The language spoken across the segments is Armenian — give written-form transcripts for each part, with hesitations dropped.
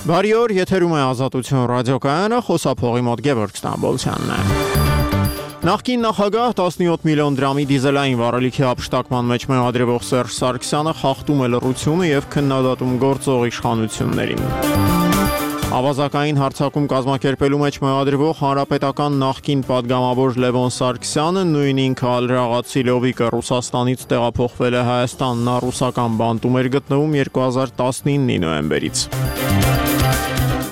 Բարի օր, եթերում է Ազատություն ռադիոկայանը, խոսափողի մոտ Գևորգ Ստամբոլցյանն է։ Նախկին նախագահ 17 միլիոն դրամի դիզելային վառելիքի ապշտակման մեջ մեղադրվող Սերժ Սարգսյանը խախտում է լռությունը եւ քննադատում գործող իշխանություններին։ Ավազակային հարձակում կազմակերպելու մեջ մեղադրվող հանրապետական նախկին падգամավոր Լևոն Սարգսյանը նույն ինքը ալրաղացի Լովիկը Ռուսաստանից տեղափոխվել է Հայաստան, նա ռուսական բանտում էր գտնվում 2019-ի նոյեմբերից։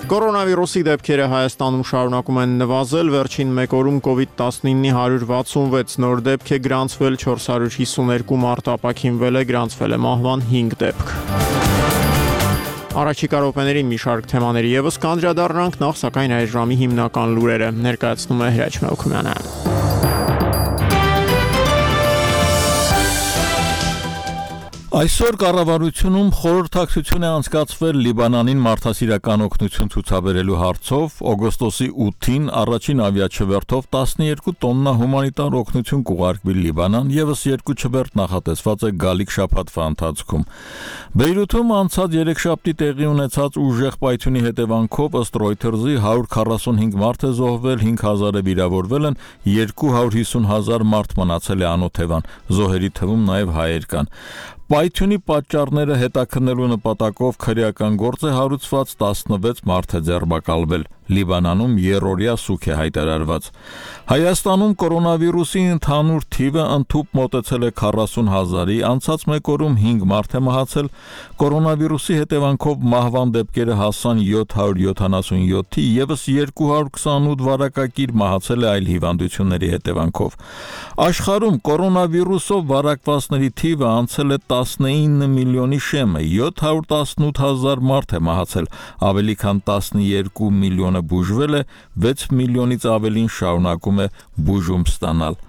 Կորոնավիրուսի դեպքերը Հայաստանում շարունակում են նվազել, վերջին մեկ օրում COVID-19-ի 166 նոր դեպք է գրանցվել, 452 մարդ ապաքինվել է, գրանցվել է մահվան 5 դեպք։ Առաջիկա րոպեներին մի շարք թեմաների ևս կանդրադառնանք, նախ սակայն այս ժամի հիմնական լուրերը ներկայացնում է Հրաչ Մելքումյանը։ Այսօր կառավարությունում խորհրդակցություն է անցկացվել Լիբանանին մարդասիրական օգնություն ցուցաբերելու հարցով, օգոստոսի 8-ին առաջին ավիաչվերթով 12 տոննա հումանիտար օգնություն կուղարկվի Լիբանան, եւս 2 չվերթ նախատեսված է գալիք շաբաթվա ընթացքում։ Բեյրութում անցած երեքշաբթի տեղի ունեցած ուժեղ պայթյունի հետևանքով ըստ Reuters-ի 145 մարդ է զոհվել, 5000-ը վիրավորվել են, 250,000 մարդ մնացել է անօթևան, զոհերի թվում նաեւ հայեր կան։ Պայթյունի պատճառները հետաքննելու նպատակով քրեական գործ է հարուցված, 16 մարդ է ձերբակալվել։ Լիբանանում երրորդյա սուգ է հայտարարված։ Հայաստանում կորոնավիրուսի ընդհանուր թիվը ընդհուպ մոտեցել է 40,000-ի, անցած մեկ օրում 5 մարդ է մահացել, կորոնավիրուսի հետևանքով մահվան դեպքերը հասան 777-ի, եւս 228 վարակակիր մահացել է այլ հիվանդությունների հետևանքով։ Աշխարհում կորոնավիրուսով վարակվածների թիվը անցել է 19 միլիոնի շեմը, 718,000 մարդ է մահացել, ավելի քան 12 միլիոնը բուժվել է, 6 միլիոնից ավելին շարունակում է բուժում ստանալ։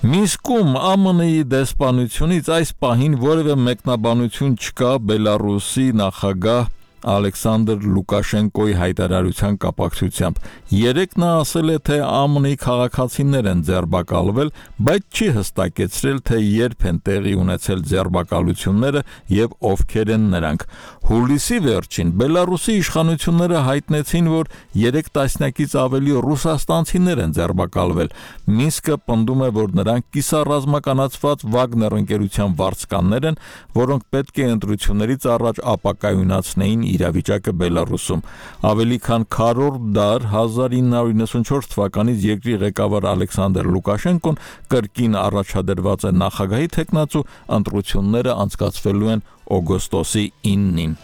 Մինսկում ԱՄՆ-ի դեսպանությունից այս պահին որևէ մեկնաբանություն չկա Բելարուսի նախագահ Ալեքսանդր Լուկաշենկոյի հայտարարության կապակցությամբ։ Երեկ նա ասել է, թե ԱՄՆ-ի քաղաքացիներ են ձերբակալվել, բայց չի հստակեցրել, թե երբ են տեղի ունեցել ձերբակալությունները եւ ովքեր են նրանք։ Հուլիսի վերջին Բելարուսի իշխանությունները հայտնեցին, որ 3 տասնյակից ավելի ռուսաստանցիներ են ձերբակալվել։ Մինսկը պնդում է, որ նրանք կիսառազմականացված Վագներ ընկերության վարձկաններ են, որոնք պետք է ընտրություններից առաջ ապակայունացնեին իրավիճակը Բելարուսում։ Ավելի քան քառորդ դար 1994 թվականից երկրի ղեկավար Ալեքսանդր Լուկաշենկոն կրկին առաջադրված է նախագահի թեկնածու, ընտրությունները անցկացվելու են օգոստոսի 9-ին։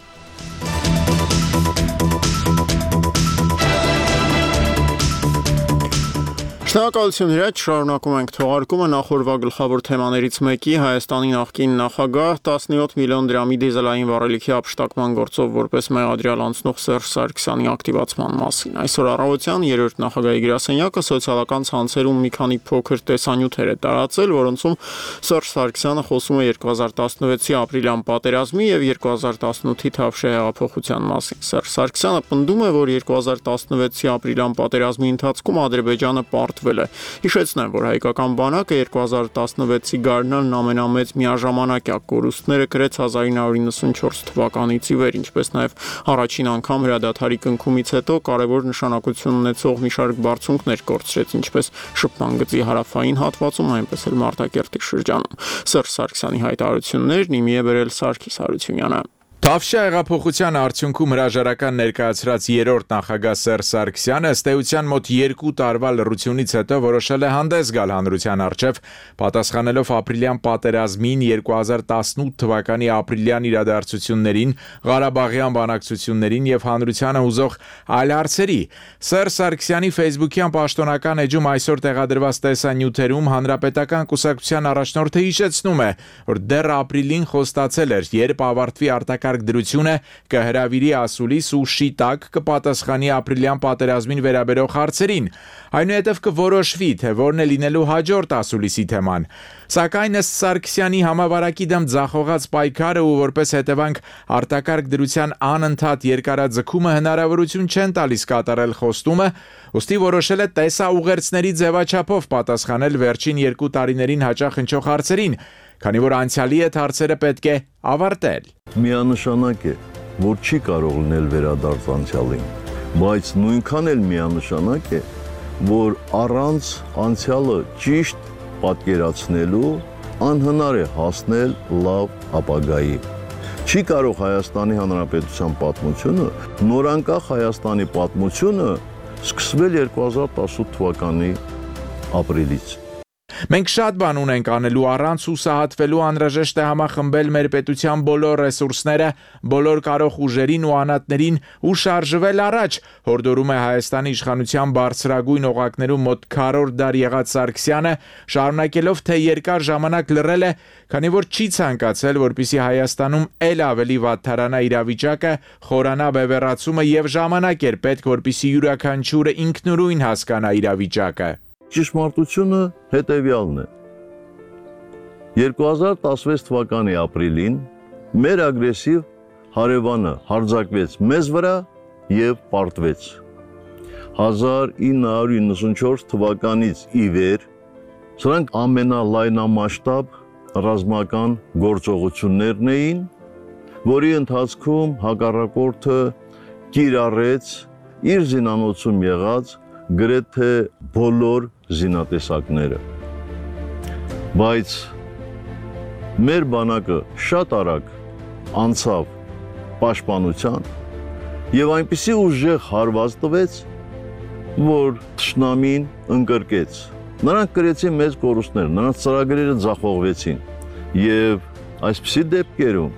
Շնորհակալություն Հրաչ, շարունակում ենք թողարկումը, նախորդ գլխավոր թեմաներից մեկի Հայաստանի նախկին նախագահ 17 միլիոն դրամի դիզելային վառելիքի ապշտակման գործով որպես մեղադրյալ անցնող Սերժ Սարգսյանի ակտիվացման մասին։ Այսօր առավոտյան երրորդ նախագահի գրասենյակը սոցիալական ցանցերում մի քանի փոքր տեսանյութեր է տարածել, որոնցում Սերժ Սարգսյանը խոսում է 2016-ի ապրիլյան պատերազմի եւ 2018-ի Թավշյա հեղափոխության մասին։ Սերժ Սարգսյանը պնդում է, որ 2016-ի ապրիլյան պատերազմի ընթացքում Ադրբեջանը Հիշեցնեմ, որ հայկական բանակը 2016-ի գարնանն ամենամեծ միաժամանակյա կորուստները կրեց 1994 թվականից ի վեր, ինչպես նաև առաջին անգամ հրադադարի կնքումից հետո կարևոր նշանակություն ունեցող մի շարք բարձունքներ կորցրեց, ինչպես շփման գծի հարավային հատվածում, այնպես էլ Մարտակերտի շրջանում։ Սերժ Սարգսյանի հայտարարություններն իմի է բերել Սարգիս Հարությունյանը։ Թավշյա հեղափոխության արդյունքում հրաժարական ներկայացրած երրորդ նախագահ Սերժ Սարգսյանը ըստ էության մոտ 2 տարվա լռությունից հետո որոշել է հանդես գալ հանրության առջև, պատասխանելով ապրիլյան պատերազմին, 2018 թվականի ապրիլյան իրադարձություններին, Ղարաբաղյան բանակցություններին եւ հանրությանը հուզող այլ հարցերի։ Սերժ Սարգսյանի Facebook-յան պաշտոնական էջում այսօր տեղադրված տեսանյութերում հանրապետական կուսակցության առաջնորդը հիշեցնում է, որ դեռ ապրիլին խոստացել էր, երբ ավարտվի արտակարգ դրությունը կհրավիրի ասուլիս ու շիտակ կպատասխանի ապրիլյան պատերազմին վերաբերող հարցերին, այնուհետև կորոշվի, թե որն է լինելու հաջորդ ասուլիսի թեման։ Սակայն ըստ Սարգսյանի համավարակի դեմ ձախողած պայքարը ու որպես հետևանք արտակարգ դրության անընդհատ երկարաձգումը հնարավորություն չեն տալիս կատարել խոստումը, ուստի որոշել է տեսաուղերձների ձևաչափով պատասխանել վերջին 2 տարիներին հաճախ հնչող հարցերին, քանի որ անցյալի հետ հարցերը պետք է ավարտել։ Միանշանակ է, որ չի կարող լինել վերադարձ անցյալին, բայց նույնքան էլ միանշանակ է, որ առանց անցյալը ճիշտ պատկերացնելու անհնար է հասնել լավ ապագայի։ Չի կարող Հայաստանի Հանրապետության պատմությունը, նորանկախ Հայաստանի պատմությունը սկսվել 2018 թվականի ապրիլից։ Մենք շատ բան ունենք անելու առանց հուսահատվելու անհրաժեշտ է համախմբել մեր պետության բոլոր ռեսուրսները, բոլոր կարող ուժերին ու անհատներին ու շարժվել առաջ, հորդորում է Հայաստանի իշխանության բարձրագույն օղակներում մոտ քառորդ դար եղած Սարգսյանը, շարունակելով թե երկար ժամանակ լռել է, քանի որ չի ցանկացել, որպեսզի Հայաստանում ել ավելի վատթարանա իրավիճակը, խորանա բևեռացումը եւ ժամանակ էր պետք, որպեսզի յուրաքանչյուրը ինքնուրույն հասկանա իրավիճակը։ Ճշմարտությունը հետևյալն է։ 2016 թվականի ապրիլին մեր ագրեսիվ հարևանը հարձակվեց մեզ վրա եւ պարտվեց։ 1994 թվականից ի վեր սրանք ամենալայնամասշտաբ ռազմական գործողություններն էին, որի ընթացքում հակառակորդը կիրառեց իր զինանոցում եղած գրեթե բոլոր զինատեսակները, բայց մեր բանակը շատ արագ անցավ պաշտպանության եւ այնպիսի ուժեղ հարված տվեց, որ թշնամին ընկրկեց։ Նրանք կրեցին մեծ կորուստներ, նրանց ծրագրերը ձախողվեցին եւ այսպիսի դեպքերում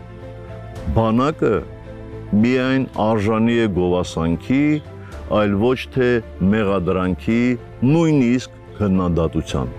բանակը միայն արժանի է գովասանքի, այլ ոչ թե մեղադրանքի, նույնիսկ քննադատության։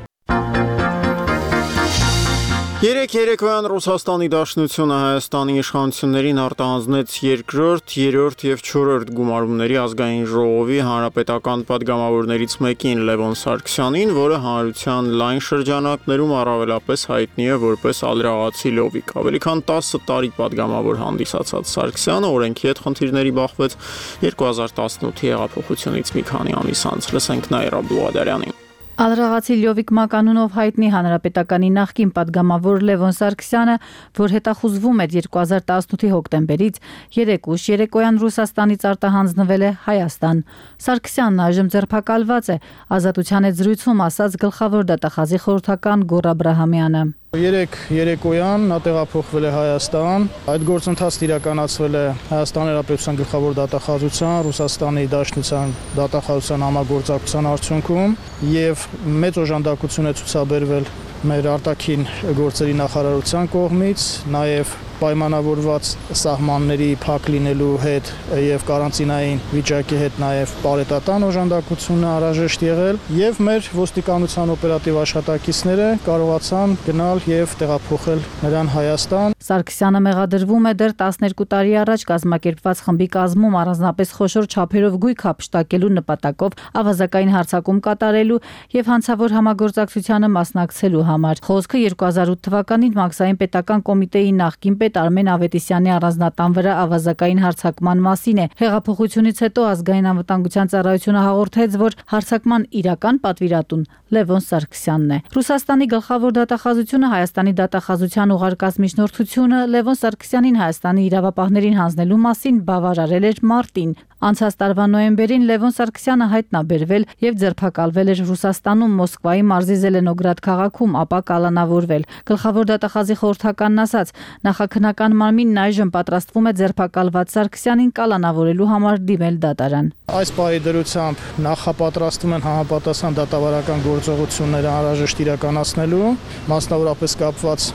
Երեկոյան Ռուսաստանի Դաշնությունը Հայաստանի իշխանություններին արտահանձնեց երկրորդ, երրորդ եւ չորրորդ գումարումների ազգային ժողովի հանրապետական падգամավորներից մեկին Լևոն Սարգսյանին, որը հանրության լայն շրջանակներում առավելապես հայտնի է որպես ալրաղացի լովիկ։ Ավելի քան 10 տարի падգամավոր հանդիսացած Սարգսյանը օրենքի հետ խնդիրների բախվեց 2018-ի հեղափոխությունից մի քանի ամիս անց։ Լսենք Նաիրա Բլուադարյանին։ Ալրաղացի Լյովիկ մականունով հայտնի հանրապետականի նախկին падգամավոր Լևոն Սարգսյանը, որ հետախուզվում էր 2018-ի հոկտեմբերից, երեկուշ երեկոյան Ռուսաստանից արտահանձնվել է Հայաստան։ Սարգսյանն այժմ ձերբակալված է, Ազատության հետ զրույցում ասաց գլխավոր դատախազի խորհրդական Գոռ Աբրահամյանը։ Երեկոյան նա տեղափոխվել է Հայաստան, այդ գործընթացն իրականացվել է Հայաստանի Հանրապետության գլխավոր դատախազության, Ռուսաստանի Դաշնության դատախազության համագործակցության արդյունքում եւ մեծ օժանդակություն է ցուցաբերվել մեր արտաքին գործերի նախարարության կողմից, նաեւ պայմանավորված սահմանների փակ լինելու հետ եւ կարանտինային վիճակի հետ նաեւ բարետատան օժանդակությունը անհրաժեշտ եղել եւ մեր ոստիկանության օպերատիվ աշխատակիցները կարողացան գնալ եւ տեղափոխել նրան Հայաստան։ Սարգսյանը մեղադրվում է դեռ 12 տարի առաջ կազմակերպված խմբի կազմում առանձնապես խոշոր չափերով գույք հափշտակելու նպատակով ավազակային հարձակում կատարելու եւ հանցավոր համագործակցությանը մասնակցելու համար։ Խոսքը 2008 թվականին Մաքսային պետական կոմիտեի նախկին պետ Արմեն Ավետիսյանի առանձնատան վրա ավազակային հարձակման մասին է։ Հեղափոխությունից հետո ազգային անվտանգության ծառայությունը հաղորդեց, որ հարձակման իրական պատվիրատուն Լևոն Սարգսյանն է։ Ռուսաստանի գլխավոր դատախազությունը Հայաստանի դատախազության ուղարկած միջնորդությունը Լևոն Սարգսյանին Հայաստանի իրավապահներին հանձնելու մասին բավարարել էր մարտին։ Անցած տարվա նոյեմբերին Լևոն Սարգսյանը հայտնաբերվել եւ ձերբակալվել էր Ռուսաստանում Մոսկվայի մարզի Զելենոգրադ քաղաքում, ապա կալանավորվել։ Գլխավոր դատախազի խորհրդականն ասաց, նախաքննական մարմինն այժմ պատրաստվում է ձերբակալված Սարգսյանին կալանավորելու համար դիմել դատարան։ Այս պահի դրությամբ նախապատրաստվում են համապատասխան դատավարական գործողությունները անհրաժեշտ իրականացնելու, մասնավորապես կապված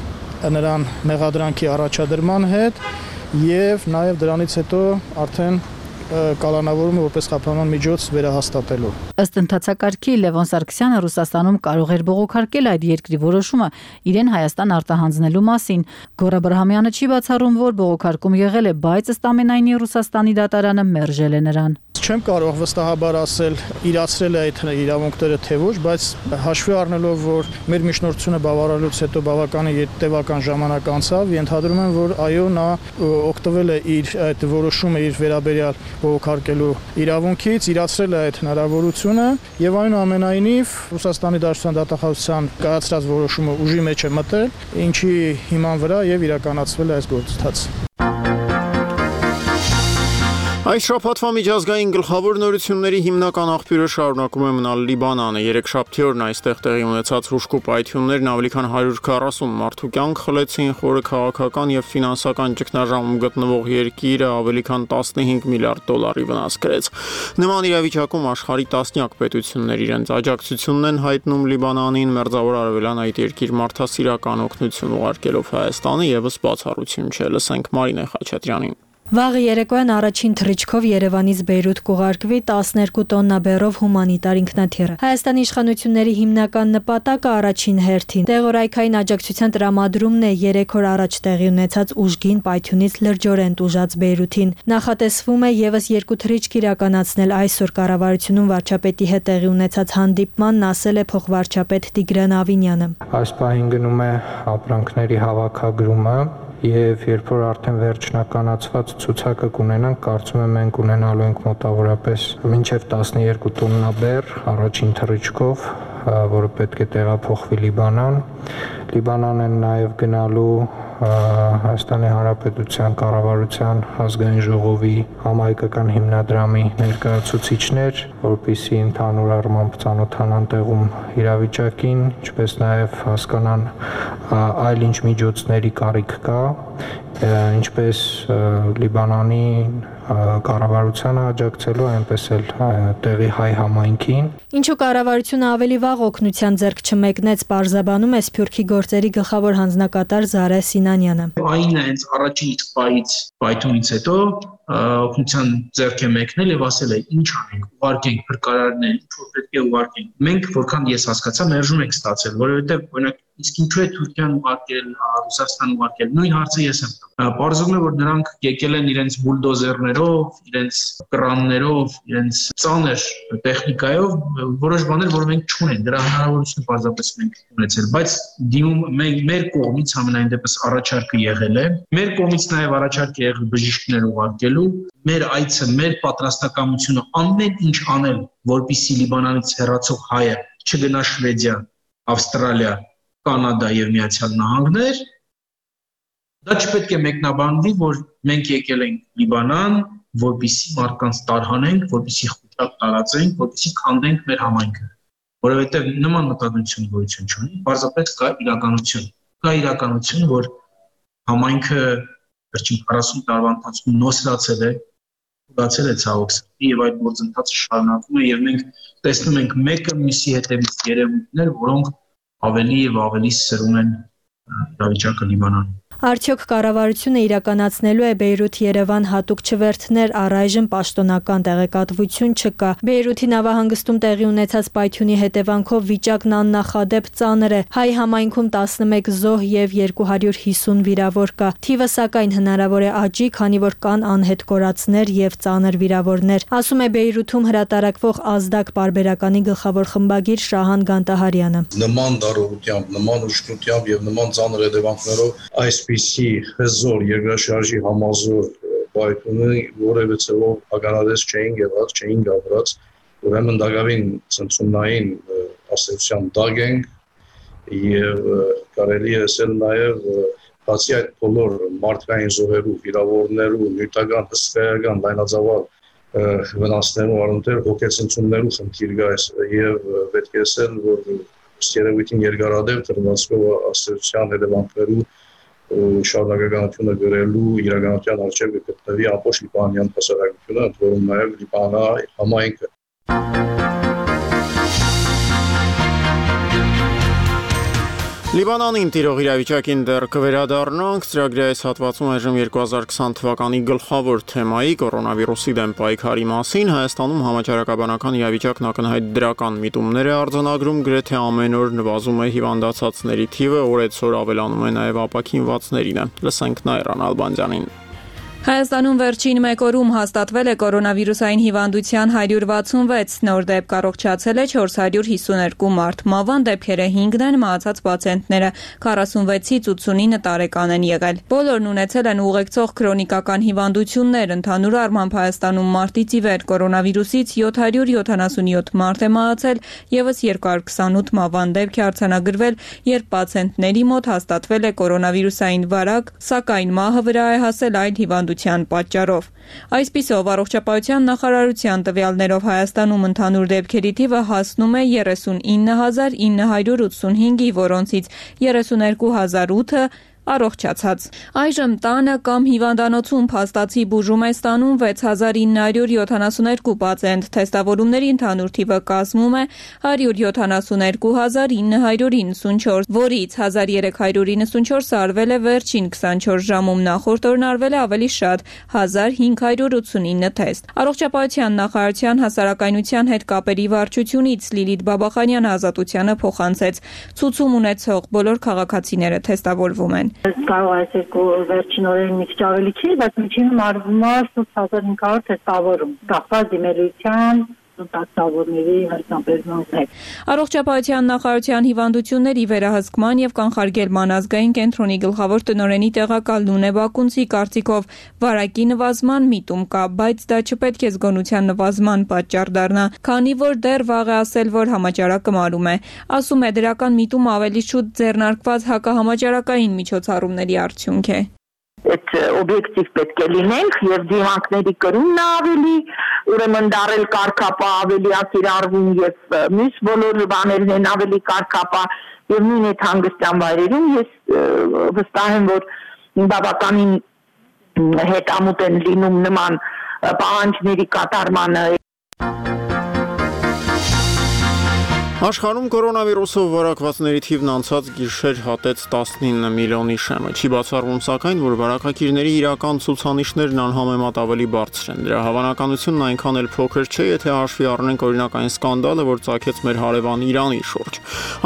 նրան մեղադրանքի առաջադրման հետ եւ նաեւ դրանից հետո արդեն կալանավորումը որպես խափանման միջոց վերահաստատելու։ Ըստ ընթացակարգի Լևոն Սարգսյանը Ռուսաստանում կարող էր բողոքարկել այդ երկրի որոշումը իրեն Հայաստան արտահանձնելու մասին։ Գոռ Աբրահամյանը չի բացառում, որ բողոքարկում եղել է, բայց ըստ ամենայնի Ռուսաստանի դատարանը մերժել է նրան։ Չեմ կարող վստահաբար ասել իրացրել է այդ իրավունքները թե ոչ, բայց հաշվի առնելով, որ մեր միջնորդությունը բավարարելուց հետո բավականին տևական ժամանակ անցավ, ենթադրում եմ, որ այո, նա օգտվել է իր այդ որոշումը իր վերաբերյալ բողոքարկելու իրավունքից, իրացրել է այդ հնարավորությունը եւ այնուամենայնիվ Ռուսաստանի Դաշնության դատախազության կայացրած որոշումը ուժի մեջ է մտել, ինչի հիման վրա եւ իրականացվել է այս գործընթացը։ Այս շաբաթվա միջազգային գլխավոր նորությունների հիմնական աղբյուրը շարունակում է մնալ Լիբանանը։ Երեքշաբթի օրն այստեղ տեղի ունեցած հուժկու պայթյուններն ավելի քան 140 մարդու կյանք խլեցին, խորը քաղաքական եւ ֆինանսական ճգնաժամում գտնվող երկիրը ավելի քան 15 միլիարդ դոլարի վնաս կրեց։ Նման իրավիճակում աշխարհի տասնյակ պետություններ իրենց աջակցությունն են հայտնում Լիբանանին, Մերձավոր Արևելյան այդ երկիր մարդասիրական օգնություն ուղարկելով Հայաստանը եւս բացառություն չէ։ Լսենք Մարինե Խաչատրյանին։ Վաղ երեկոյան առաջին թռիչքով Երևանից Բեյրութ կուղարկվի 12 տոննա բեռով հումանիտար ինքնաթիռը։ Հայաստանի իշխանությունների հիմնական նպատակը առաջին հերթին տեղորայքային աջակցության տրամադրումն է 3 օր առաջ տեղի ունեցած ուժգին պայթյունից լրջորեն տուժած Բեյրութին։ Նախատեսվում է եւս 2 թռիչք իրականացնել այսօր կառավարությունում վարչապետի հետ տեղի ունեցած հանդիպմանն, ասել է փոխվարչապետ Տիգրան Ավինյանը։ Այս պահին գնում է ապրանքների հավաքագրումը Եվ երբ որ արդեն վերջնականացված ցուցակը կունենանք, կարծում եմ մենք ունենալու ենք մոտավորապես մինչև 12 տոննա բեռ առաջին թռիչքով, որը պետք է տեղափոխվի Լիբանան։ Լիբանան են նաև գնալու Հայաստանի Հանրապետության կառավարության ազգային ժողովի համահայկական հիմնադրամի ներկայացուցիչներ, որպեսզի ընդհանուր առմամբ ծանոթանան տեղում իրավիճակին, ինչպես նաև հասկանան այլ ինչ միջոցների կարիք կա, ինչպես Լիբանանի կառավարությանը աջակցելու, այնպես էլ տեղի հայ համայնքին։ Ինչու կառավարությունը ավելի վաղ օգնության ձեռք չմեկնեց, պարզաբանում է Սփյուռքի գործերի գլխավոր հանձնակատար Զարե Սինանյանը։ Այն հենց առաջին իսկ պայից պայթունից հետո օգնության ձեռք է մեկնել եւ ասել է ինչ անենք, ուղարկենք փրկարարներ, ինչ որ պետք է ուղարկենք։ Մենք որքան ես հասկացա, մերժում ենք ստացել, որովհետեւ օրինակ իսկ ինչու է Թուրքիան ուղարկել, Ռուսաստան ուղարկել, նույն հարցը ես եմ տալիս։ Պարզվում է, որ նրանք եկել են իրենց բուլդոզերներով, իրենց կրաններով, իրենց ծանր տեխնիկայով, որոշ բաներ, որ մենք չունենք, դրա հնարավորությունը պարզապես մենք ունեցել, բայց դիմում մեր կողմից համենայն դեպս առաջարկը եղել է, մեր կողմից նաև առաջարկ է եղել բժիշկներ ուղարկելու, մեր այցը, մեր պատրաստակամությունը ամեն ինչ անել, որպեսզի Լիբանանից հեռացող հայը չգնա Շվեդիա, Ավստրալիա, Կանադա եւ Միացյալ Նահանգներ, դա չպետք է մեկնաբանվի, որ մենք եկել ենք Լիբանան, որպեսզի մարդկանց տարհանենք, որպեսզի խուճապ տարածենք, որպեսզի քանդենք մեր համայնքը, որովհետեւ նման մտադրություն գոյություն չունի, պարզապես կա իրականություն, որ համայնքը վերջին 40 տարվա ընթացքում նոսրացել է, ուղղացել է ցավոք սրտի եւ այդ գործընթացը շարունակվում է եւ մենք տեսնում ենք մեկը մյուսի հետևից երևույթներ, որոնք ավելի եւ ավելի սրում են իրավիճակը Լիբանանում։ Արդյոք կառավարությունը իրականացնելու է Բեյրութ-Երևան հատուկ չվերթներ, առայժմ պաշտոնական տեղեկատվություն չկա։ Բեյրութի նավահանգստում տեղի ունեցած պայթյունի հետևանքով վիճակն աննախադեպ ծանր է։ Հայ համայնքում 11 զոհ եւ 250 վիրավոր կա։ Թիվը սակայն հնարավոր է աճի, քանի որ կան անհետ կորածներ եւ ծանր վիրավորներ, ասում է Բեյրութում հրատարակվող Ազդակ պարբերականի գլխավոր խմբագիր Շահան Գանտահարյանը։ Նման դառողությամբ, նման ուշքությամբ եւ նման ծանր հետևանքներով այսպիսի հզոր երկրաշարժի համազոր պայթյունի որևէ ցավով ականատես չէին եղած, չէին գավրած, ուրեմն դակավին ցնցումնային ասոցիացիան դագենք եւ կարելի է ասել նաեւ բացի այդ բոլոր մարդկային զոհերու, վիրավորներու, նյութական, հսկայական, լայնածավալ վնասներու առումներ հոգեցնցումներու խնդիր կա եւ պետք է ասել, որ երևույթին երկարադեպ դրվածքով ասոցիացիան հետևանքներու շարունակականությունը գրելու իրականության արժեքը գտնվի ամբողջ լիբանանյան հասարակությունը, որում նաև Լիբանանի համայնքը։ Լիբանանին տիրող իրավիճակին դեռ կվերադառնանք, ծրագրի այս հատվածում այժմ 2020 թվականի գլխավոր թեմայի կորոնավիրուսի դեմ պայքարի մասին Հայաստանում համաճարակաբանական իրավիճակն ակնհայտ դրական միտումներ է արձանագրում, գրեթե ամեն օր նվազում է հիվանդացածների թիվը, օրեցօր ավելանում է նաև ապաքինվածներինը։ Լսենք Նայրան Ալբանդյանին։ Հայաստանում վերջին մեկ օրում հաստատվել է կորոնավիրուսային հիվանդության 166 նոր դեպք, առողջացել է 452 մարդ, մահվան դեպքերը 5-ն են, մահացած պացիենտները 46-ից 89 տարեկան են եղել։ Բոլորն ունեցել են ուղեկցող քրոնիկական հիվանդություններ, ընդհանուր առմամբ Հայաստանում մարտից ի վեր կորոնավիրուսից 777 մարդ է մահացել, եւս 228 մահվան դեպք է արձանագրվել, երբ պացիենտների մոտ հաստատվել է կորոնավիրուսային վարակ, սակայն մահը վրա է հասել այլ հիվանդություն հիվանդության պատճառով։ Այսպիսով, առողջապահության նախարարության տվյալներով Հայաստանում ընդհանուր դեպքերի թիվը հասնում է 39,985-ի, որոնցից 32,008-ը առողջացած։ Այժմ տանը կամ հիվանդանոցում փաստացի բուժում է ստանում 6972 պացիենտ, թեստավորումների ընդհանուր թիվը կազմում է 172994, որից 1394-ը արվել է վերջին 24 ժամում, նախորդ օրն արվել է ավելի շատ 1589 թեստ։ Առողջապահության նախարարության հասարակայնության հետ կապերի վարչությունից Լիլիթ Բաբախանյանը Ազատությանը փոխանցեց. ցուցում ունեցող բոլոր քաղաքացիները թեստավորվում են։ Կարող է երկու վերջին օրերին մի քիչ ավելի չի, բայց միջինում արվում է 8500 թեստավորում, կախված դիմելության տակտավորների հարցաբերման հետ։ Առողջապահության նախարարության հիվանդությունների վերահսկման եւ կանխարգելման ազգային կենտրոնի գլխավոր տնօրենի տեղակալ Նունե Բակունցի կարծիքով վարակի նվազման միտում կա, բայց դա չպետք է զգոնության նվազման պատճառ դառնա, քանի որ դեռ վաղ է ասել, որ համաճարակը մարում է։ Ասում է, դրական միտումը ավելի շուտ ձեռնարկված հակահամաճարակային միջոցառումների արդյունք է։ Այդ օբյեկտիվ պետք է լինենք եւ դիմանկների կրումն ավելի, ուրեմն դարել կարգապահ ավելի ակիրառվում եւ մյուս բոլոր բաներն են ավելի կարգապահ եւ նույն այդ հանգստյան վայրերում ես վստահ եմ, որ բավականին հետամուտ են լինում նման պահանջների կատարմանը։ Աշխարհում կորոնավիրուսով վարակվածների թիվն անցած գիշեր հատեց 19 միլիոնի շեմը։ Չի բացառվում սակայն, որ վարակագիրների իրական ցուցանիշներն անհամեմատ ավելի բարձր են։ Դրա հավանականությունն այնքան էլ փոքր չէ, եթե հաշվի առնենք օրինակ այն սկանդալը, որ ծագեց մեր հարևան Իրանի շուրջ։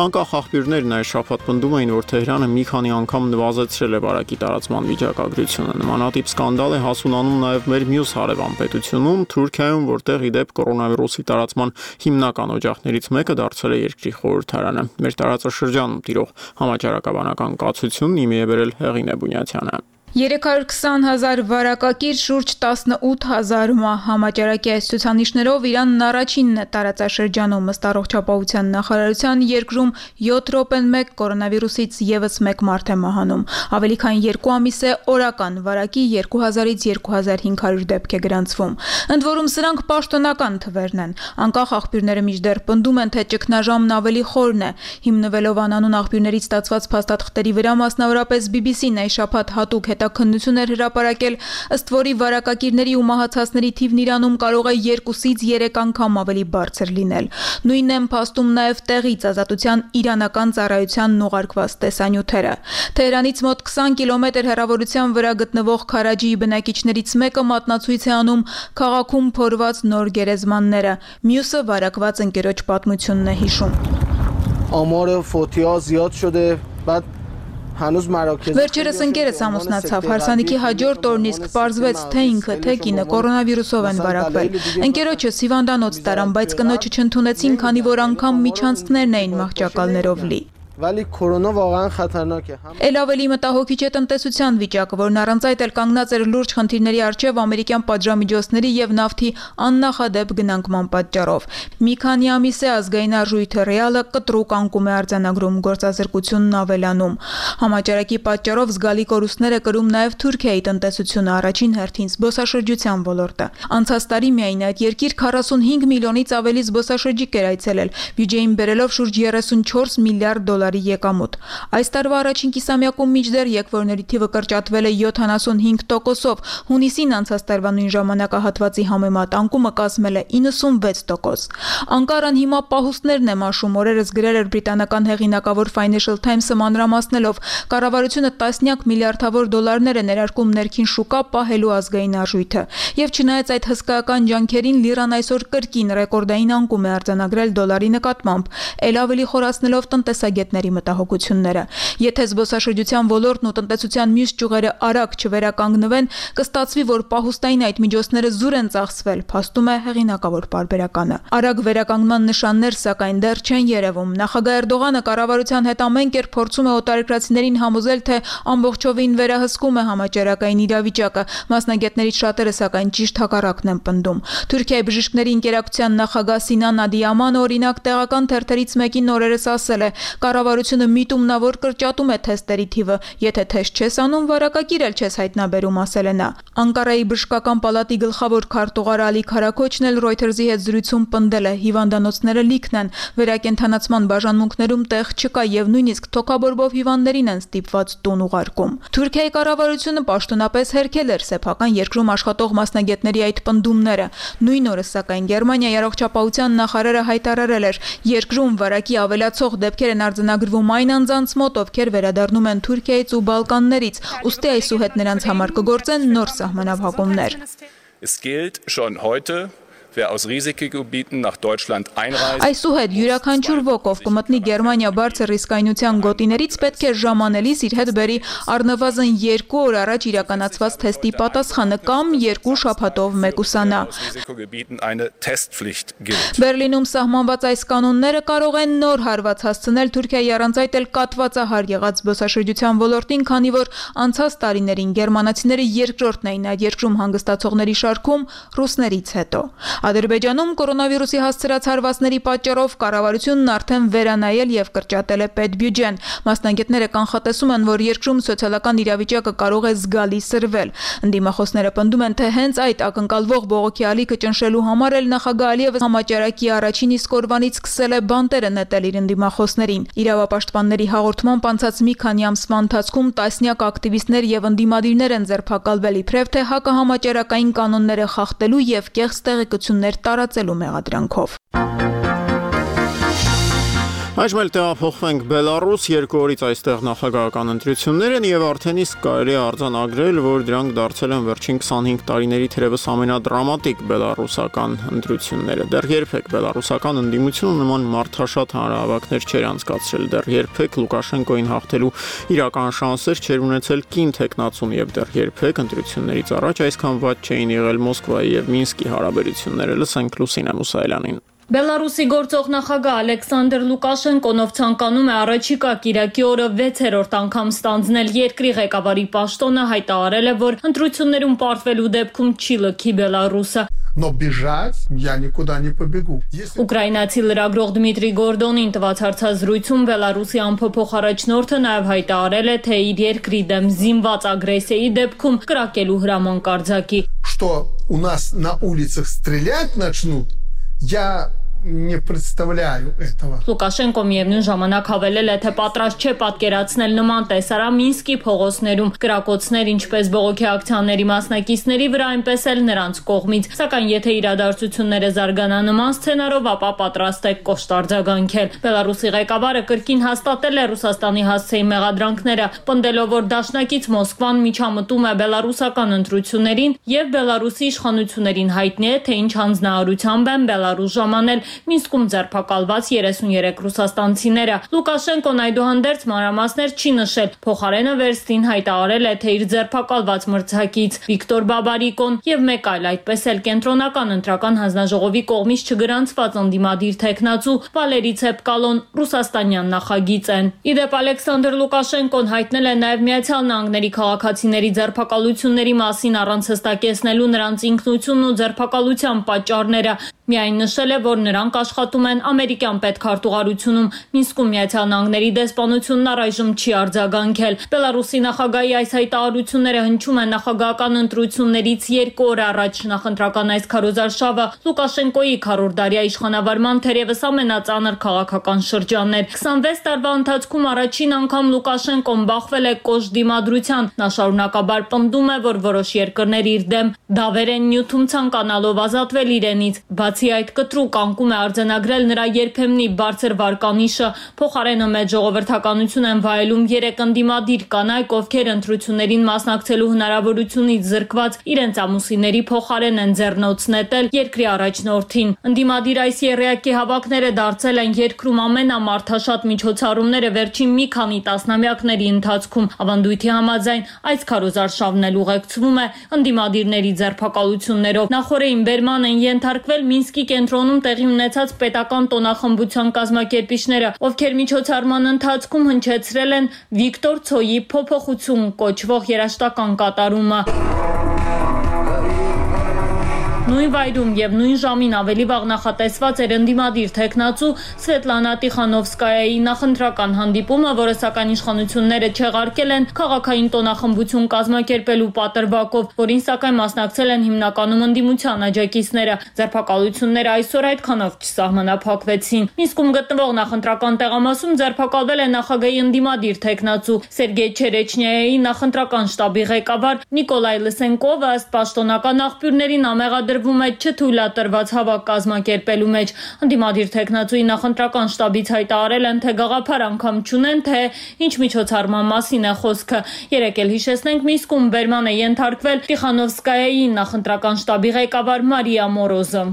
Անկախ աղբյուրներն այս շաբաթ պնդում էին, որ Թեհրանը մի քանի անգամ նվազեցրել է վարակի տարածման վիճակագրությունը։ Նմանատիպ սկանդալ է հասունանում նաև մեր մյուս հարևան պետությունում, Թուրքիայում, որտեղ ի դեպ կորոնավիրուսի տարածման հիմնական օջախներից մեկը դարձել է երկրի խորհրդարանը։ Մեր տարածաշրջանում տիրող համաճարակաբանական կացությունն իմի է բերել Հեղինե Բունյացյանը։ 320,000 վարակակիր, շուրջ 18,000 մահ համաճարակի այս ցուցանիշներով Իրանն առաջինն է տարածաշրջանում ըստ առողջապահության նախարարության երկրում 7 րոպեն 1 կորոնավիրուսից եւս 1 մարդ է մահանում։ Ավելի քան 2 ամիս է օրական վարակի 2000-ից 2500 դեպք է գրանցվում։ Ընդ որում սրանք պաշտոնական թվերն են։ Անկախ աղբյուրները մինչդեռ պնդում են, թե ճգնաժամն ավելի խորն է։ Հիմնվելով անանուն աղբյուրներից ստացված փաստաթղթերի վրա, մասնավորապես BBC-ն այս շաբաթ հատուկ հետաքննություն էր հրապարակել, ըստ որի վարակակիրների ու մահացածների թիվն Իրանում կարող է 2-ից 3 անգամ ավելի բարձր լինել։ Նույնն են փաստում նաև տեղից Ազատության իրանական ծառայությանն ուղարկված տեսանյութերը։ Թեհրանից մոտ 20 կիլոմետր հեռավորության վրա գտնվող Քարաջիի բնակիչներից մեկը մատնացույց է անում քաղաքում փորված նոր գերեզմանները, մյուսը վարակված ընկերոջ պատմությունն է հիշում։ Ամորը ֆոտիա զիադ շուտե, բադ Վերջերս ընկերս ամուսնացավ, հարսանիքի հաջորդ օրն իսկ պարզվեց, թե ինքը, թե կինը կորոնավիրուսով են վարակվել։ Ընկերոջս հիվանդանոց տարան, բայց կնոջը չընդունեցին, քանի որ անգամ միջանցքներն էին մահճակալներով լի։ Վալի կորոնա վաղան խաթարնակ է։ Էլ ավելի մտահոգիչ է տնտեսության վիճակը, որն առանց այդ էլ կանգնած էր լուրջ խնդիրների առջև ամերիկյան պատժամիջոցների եւ նավթի աննախադեպ գնանկման պատճառով։ Մի քանի ամիս է ազգային արժույթը ռեալը կտրուկ անկում է արձանագրում, գործազրկությունն ավելանում։ Համաճարակի պատճառով զգալի կորուստներ է կրում նաեւ Թուրքիայի տնտեսությունը, առաջին հերթին զբոսաշրջության ոլորտը։ Անցած տարի միայն այդ երկիր 45 միլիոնից ավելի զբոսաշրջիկ էր այցելել, բյուջեին բերելով շուրջ 34 միլիարդ դոլար եկամուտ։ Այս տարվա առաջին կիսամյակում մինչդեռ եկվորների թիվը կրճատվել է 75%-ով, հունիսին անցած տարվա նույն ժամանակահատվածի համեմատ անկումը կազմել է 96%։ Անկարան հիմա պահուստներն է մաշում, օրերս գրել էր բրիտանական հեղինակավոր Financial Times-ը մանրամասնելով, կառավարությունը տասնյակ միլիարդավոր դոլարներ է ներարկում ներքին շուկա պահելու ազգային արժույթը։ Եվ չնայած այդ հսկայական ջանքերին լիրան այսօր կրկին ռեկորդային անկում է արձանագրել դոլարի նկատմամբ, ել ավելի խորացնելով տնտեսագետների մտահոգությունները։ Եթե զբոսաշրջության ոլորտն ու տնտեսության մյուս ճյուղերը արագ չվերականգնվեն, կստացվի, որ պահուստային այդ միջոցները զուր են ծախսվել, փաստում է հեղինակավոր պարբերականը։ Արագ վերականգնման նշաններ սակայն դեռ չեն երևում։ Նախագահ Էրդողանը կառավարության հետ ամեն կերպ փորձում է օտարերկրացիներին համոզել, թե ամբողջովին վերահսկում է համաճարակային իրավիճակը։ Մասնագետներից շատերը սակայն ճիշտ հակառակն են պնդում։ Թուրքիայի բժիշկների ընկերակցության նախագահ Սինան Ադիամանը օրինակ տեղական թերթերից մեկին օրերս ասել է. կառավարությունը միտումնավոր կրճատում է թեստերի թիվը, եթե թեստ չես անում, վարակագիր էլ չես հայտնաբերում, ասել է նա։ Անկարայի բժշկական պալատի գլխավոր քարտուղար Ալի Քարաքոչն էլ Reuters-ի հետ զրույցում պնդել է, հիվանդանոցները լիքն են, վերակենդանացման բաժանմունքներում տեղ չկա եւ նույնիսկ թոքաբորբով հիվանդներին են ստիպված տուն ուղարկում։ Թուրքիայի կառավարությունը պաշտոնապես հերքել էր սեփական երկրում աշխատող մասնագետների այդ պնդումները։ Նույն օրը, սակայն, Գերմանիայի առողջապահության նախարարը հայտարարել էր, երկրում վարակի ավելացող դեպքեր են արձանագրվում այն անձանց մոտ, ովքեր վերադառնում են Թուրքիայից ու Բալկաններից, ուստի այսուհետ նրանց համար կգործեն նոր սահմանափակումներ։ Es gilt schon heute, wer aus Risikogebieten nach Deutschland einreist. Այսուհետ յուրաքանչյուր ոք, ով կմտնի Գերմանիա բարձր ռիսկայնության գոտիներից, պետք է ժամանելիս իր հետ բերի առնվազն 2 օր առաջ իրականացված թեստի պատասխանը կամ 2 շաբաթով մեկուսանա։ Բերլինում սահմանված այս կանոնները կարող են նոր հարված հասցնել Թուրքիայի առանց այդ էլ կատվածահար եղած զբոսաշրջության ոլորտին, քանի որ անցած տարիներին գերմանացիները երկրորդն էին այդ երկրում հանգստացողների շարքում ռուսներից հետո։ Ադրբեջանում կորոնավիրուսի հասցրած հարվածների պատճառով կառավարությունն արդեն վերանայել եւ կրճատել է պետբյուջեն։ Մասնագետները կանխատեսում են, որ երկրում սոցիալական իրավիճակը կարող է զգալի սրվել։ Ընդդիմախոսները պնդում են, թե հենց այդ ակնկալվող բողոքի ալիքը ճնշելու համար էլ նախագահ Ալիևը համաճարակի առաջին իսկ օրվանից սկսել է բանտերը նետել իր ընդդիմախոսներին։ Իրավապաշտպանների հաղորդմամբ անցած մի քանի ամսվա ընթացքում տասնյակ ակտիվիստներ եւ ընդդիմադիրներ են ձերբակալվել իբրև թե հակահամաճարակային կանոնները խախտելու եւ կեղծ տեղեկություններ տարածելու մեղադրանքով։ Այժմ էլ տեղափոխվենք Բելարուս, 2 օրից այստեղ նախագահական ընտրություններ են եւ արդեն իսկ կարելի է արձանագրել, որ դրանք դարձել են վերջին 25 տարիների թերևս ամենադրամատիկ բելարուսական ընտրությունները։ Դեռ երբեք բելարուսական ընդդիմությունը նման մարդաշատ հանրահավաքներ չէր անցկացրել, դեռ երբեք Լուկաշենկոին հաղթելու իրական շանսեր չէր ունեցել կին տեխնացուն եւ դեռ երբեք ընտրություններից առաջ այսքան վատ չէին եղել Մոսկվայի եւ Մինսկի հարաբերությունները։ Լսենք Լուսինե Մուսայելյանին։ Բելարուսի գործող նախագահ Ալեքսանդր Լուկաշենկոն ցանկանում է առաջիկա կիրակի օրը 6-րդ անգամ ստանձնել երկրի ղեկավարի պաշտոնը, հայտարարել է, որ ընտրություններում պարտվելու դեպքում չի լքի Բելարուսը։ Но бежать я никуда не побегу. Ուկրաինացի լրագրող Դմիտրի Գորդոնին տված հարցազրույցում Բելարուսի ամփոփող առաջնորդը նաև հայտարարել է, թե իր երկրի դեմ զինված ագրեսիայի դեպքում կրակելու հրաման կարձակի։ Что у нас на улицах стрелять начнут? Я не представляю этого. Լուկաշենկո միևնույն ժամանակ հավելել է, թե պատրաստ չէ պատկերացնել նման տեսարան Մինսկի փողոցներում կրակոցներ ինչպես բողոքի ակցիաների մասնակիցների վրա, այնպես էլ նրանց կողմից, սակայն եթե իրադարձությունները զարգանա նման սցենարով, ապա պատրաստ է կոշտ արձագանքել։ Բելարուսի ղեկավարը կրկին հաստատել է Ռուսաստանի հասցեի մեղադրանքները, պնդելով, որ դաշնակից Մոսկվան միջամտում է բելարուսական ընտրություններին եւ Բելարուսի իշխանություններին հայտնի է, թե ինչ հանձնարարությամբ են Բելարուս ժամանել Մինսկում ձերբակալված 33 ռուսաստանցիները։ Լուկաշենկոն այդուհանդերձ մանրամասներ չի նշել, փոխարենը վերստին հայտարարել է, թե իր ձերբակալված մրցակից Վիկտոր Բաբարիկոն եւ մեկ այլ, այդպես էլ կենտրոնական ընտրական հանձնաժողովի կողմից չգրանցված ընդդիմադիր տեխնացու Վալերի Ցեպկալոն ռուսաստանյան նախագիծ են։ Իդեպ Ալեքսանդր Լուկաշենկոն հայտնել է նաեւ Միացյալ Նահանգների քաղաքացիների ձերբակալությունների մասին առանց հստակեցնելու նրանց ինքնությունն ու ձերբակալության պատճառները։ Միայն նշել է, որ նրանք աշխատում են ամերիկյան պետքարտուղարությունում, Մինսկում Միացյալ Նահանգների դեսպանությունն առայժմ չի արձագանքել։ Բելարուսի նախագահի այս հայտարարությունները հնչում են նախագահական ընտրություններից 2 օր առաջ։ Նախընտրական այս քարոզարշավը Լուկաշենկոյի քառորդարյա իշխանավարման թերևս ամենածանր քաղաքական շրջանն էր։ 26 տարվա ընթացքում առաջին անգամ Լուկաշենկոն բախվել է կոշտ դիմադրության։ Նա շարունակաբար պնդում է, որ որոշ երկրներ իր դեմ դավեր են նյութում ցանկանալով ազատվել իրենից։ Բացի այդ, կտրուկ անկում է արձանագրել նրա երբեմնի բարձր վարկանիշը, փոխարենը մեծ ժողովրդականություն են վայելում 3 ընդդիմադիր կանայք, ովքեր ընտրություններին մասնակցելու հնարավորությունից զրկված իրենց ամուսինների փոխարեն են ձեռնոց նետել երկրի առաջնորդին։ Ընդդիմադիր այս եռյակի հավաքները դարձել են երկրում ամենամարդաշատ միջոցառումները վերջին մի քանի տասնամյակների ընթացքում։ Ավանդույթի համաձայն այս քարոզարշավն էլ ուղեկցվում է ընդդիմադիրների ձերբակալություններով։ Նախորդին բերման են ենթարկվել Մինսկի կենտրոնում տեղի ունեցած պետական տոնախմբության կազմակերպիչները, ովքեր միջոցառման ընթացքում հնչեցրել են Վիկտոր Ցոյի փոփոխություն կոչվող երաժշտական կատարումը։ Նույն վայրում եւ նույն ժամին ավելի վաղ նախատեսված էր ընդդիմադիր տեխնացու Սվետլանա Տիխանովսկայայի նախընտրական հանդիպումը, որը սակայն իշխանությունները չեղարկել են քաղաքային տոնախմբություն կազմակերպելու պատրվակով, որին սակայն մասնակցել են հիմնականում ընդդիմության աջակիցները։ Ձերբակալությունները այսօր այդքանով չսահմանափակվեցին։ Մինսկում գտնվող նախընտրական տեղամասում ձերբակալվել է նախագահի ընդդիմադիր տեխնացու Սերգեյ Չերեչնյայի նախընտրական շտաբի ղեկավար Նիկոլայ Լսենկովը, ըստ պաշտոնական աղբյուրներին ամեղադրվում է չթույլատրված հավաք կազմակերպելու մեջ։ Ընդդիմադիր տեխնացուի նախընտրական շտաբից հայտարարել են, թե գաղափար անգամ չունեն, թե ինչ միջոցառման մասին է խոսքը։ Երեկ էլ հիշեցնենք, Մինսկում բերման է ենթարկվել Տիխանովսկայայի նախընտրական շտաբի ղեկավար Մարիա Մորոզը։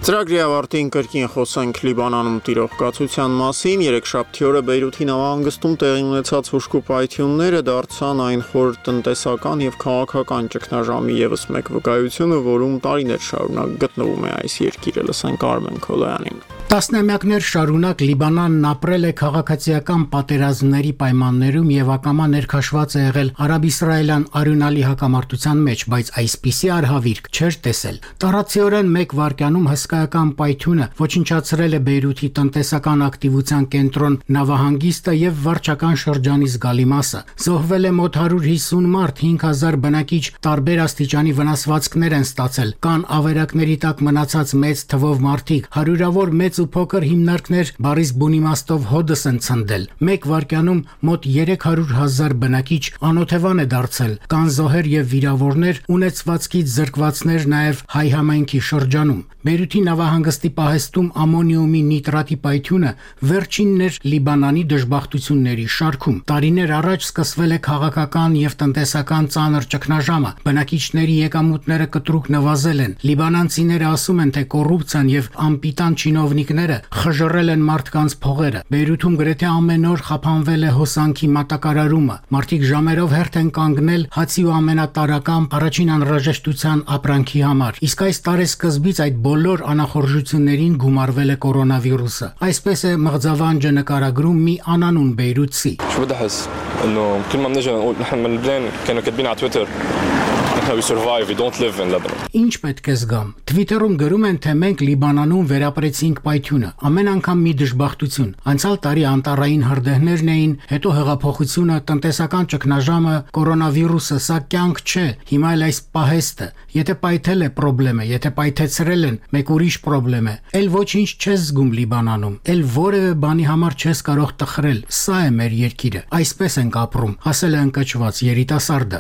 Ծրագրի ավարտին կրկին խոսենք Լիբանանում տիրող կացության մասին։ Երեքշաբթի օրը Բեյրութի նավահանգստում տեղի ունեցած հուժկու պայթյունները դարձան այն խոր տնտեսական եւ քաղաքական ճգնաժամի ևս մեկ վկայությունը, որում տարիներ շարունակ գտնվում է այս երկիրը։ Լսենք Արմեն Քոլոյանին։ Տասնամյակներ շարունակ Լիբանանն ապրել է քաղաքացիական պատերազմների պայմաններում եւ ակամա ներքաշված է եղել արաբ-իսրայելյան արյունալի հակամարտության մեջ, բայց այսպիսի արհավիրք չէր տեսել։ Տարածիորեն մեկ վայրկյանում հսկայական պայթյունը ոչնչացրել է Բեյրութի տնտեսական ակտիվության կենտրոն նավահանգիստը եւ վարչական շրջանի զգալի մասը։ Զոհվել է մոտ 150 մարդ, 5000 բնակիչ տարբեր աստիճանի վնասվածքներ են ստացել։ Կան ավերակների տակ մնացած մեծ թվով մարդիկ, հարյուրավոր մեծ ու փոքր հիմնարկներ բարիս բուն իմաստով հոդս են ցնդել։ Մեկ վայրկյանում մոտ 300,000 բնակիչ անօթևան է դարձել։ Կան զոհեր եւ վիրավորներ, ունեցվածքից զրկվածներ նաեւ հայ համայնքի շրջանում։ Բեյրութի նավահանգստի պահեստում ամոնիումի նիտրատի պայթյունը վերջինն էր Լիբանանի դժբախտությունների շարքում։ Տարիներ առաջ սկսվել է քաղաքական եւ տնտեսական ծանր ճգնաժամը։ Բնակիչների եկամուտները կտրուկ նվազել են։ Լիբանանցիները ասում են, թե կոռուպցիան եւ անպիտան չինովնիկները խժռել են մարդկանց փողերը։ Բեյրութում գրեթե ամեն օր խափանվել է հոսանքի մատակարարումը։ Մարդիկ ժամերով հերթ են կանգնել հացի ու ամենատարրական առաջին անհրաժեշտության ապրանքի համար։ Իսկ այս տարեսկզբից այդ բոլոր անախորժություններին գումարվել է կորոնավիրուսը։ Այսպես է մղձավանջը նկարագրում մի անանուն բեյրութցի։ Ինչ պետք է զգամ։ Թվիտերում գրում են, թե մենք Լիբանանում վերապրեցինք պայթյունը։ Ամեն անգամ մի դժբախտություն։ Անցյալ տարի անտառային հրդեհներն էին, հետո հեղափոխությունը, տնտեսական ճգնաժամը, կորոնավիրուսը, սա կյանք չէ։ Հիմա էլ այս պահեստը։ Եթե պայթել է պրոբլեմ է, եթե պայթեցրել են, մեկ ուրիշ պրոբլեմ է։ Էլ ոչինչ չես զգում Լիբանանում։ Էլ որևէ բանի համար չես կարող տխրել։ Սա է մեր երկիրը։ Այսպես ենք ապրում, ասել է ընկճված երիտասարդը։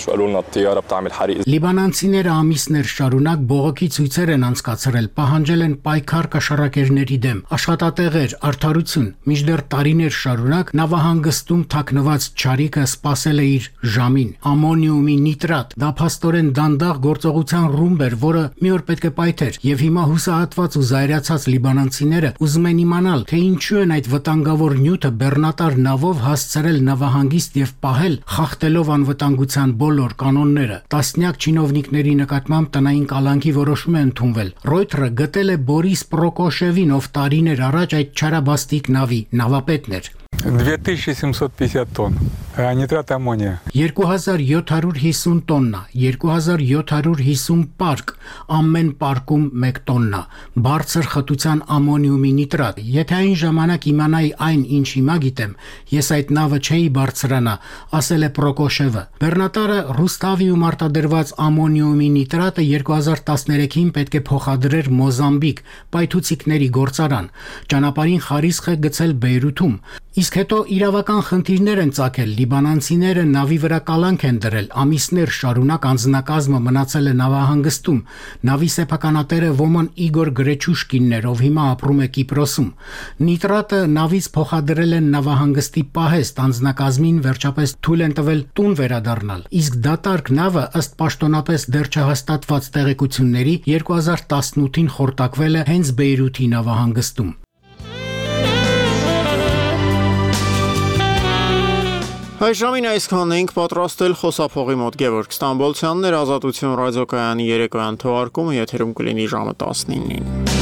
Լիբանանցիները ամիսներ շարունակ բողոքի ցույցեր են անցկացրել, պահանջել են պայքար կաշառակերների դեմ, աշխատատեղեր, արդարություն։ Մինչդեռ տարիներ շարունակ նավահանգստում թաքնված չարիքը սпасել է իր ժամին։ Ամոնիումի նիտրատ, դա փաստորեն դանդաղ գործողության ռումբ էր, որը մի օր պետք է պայթեր, եւ հիմա հուսահատված ու զայրացած լիբանանցիները ուզում են իմանալ, թե ինչու են այդ վտանգավոր նյութը բեռնատար նավով հասցրել նավահանգիստ եւ պահել, խախտելով անվտանգության բոլոր կանոնները։ Տասնյակ չինովնիկների նկատմամբ տնային կալանքի որոշում է ընդունվել։ Ռոյթերը գտել է Բորիս Պրոկոշևին, ով տարիներ առաջ այդ չարաբաստիկ նավի նավապետն էր։ 2750 տոնн նիտրատ ամոնիա 2750 տոննա 2750 պարկ ամեն պարկում 1 տոննա բարձր խտության ամոնիումի նիտրատ եթե այն ժամանակ իմանայի այն ինչ հիմա գիտեմ ես այդ նավը չէի բարձրանա ասել է Պրոկոշևը բեռնատարը Ռուստավիում արտադրված ամոնիումի նիտրատը 2013-ին պետք է փոխադրեր Մոզամբիկ պայթուցիկների գործարան ճանապարհին խարիսխ է գցել Բեյրութում Իսկ հետո իրավական խնդիրներ են ծագել, լիբանանցիները նավի վրա կալանք են դրել, ամիսներ շարունակ անձնակազմը մնացել է նավահանգստում, նավի սեփականատերը Ոման Իգոր Գրեչուշկինն էր, ով հիմա ապրում է Կիպրոսում։ Նիտրատը նավից փոխադրել են նավահանգստի պահեստ, անձնակազմին վերջապես թույլ են տվել տուն վերադառնալ։ Իսկ դատարկ նավը ըստ պաշտոնապես դեռ չհաստատված տեղեկությունների 2018-ին խորտակվել է հենց Բեյրութի նավահանգստում։ Այս ժամին այսքանն ենք պատրաստել խոսափողի մոտ Գևորգ Ստամբոլցյանն էր Ազատություն ռադիոկայանի երեկոյան թողարկումը եթերում կլինի ժամը 19-ին։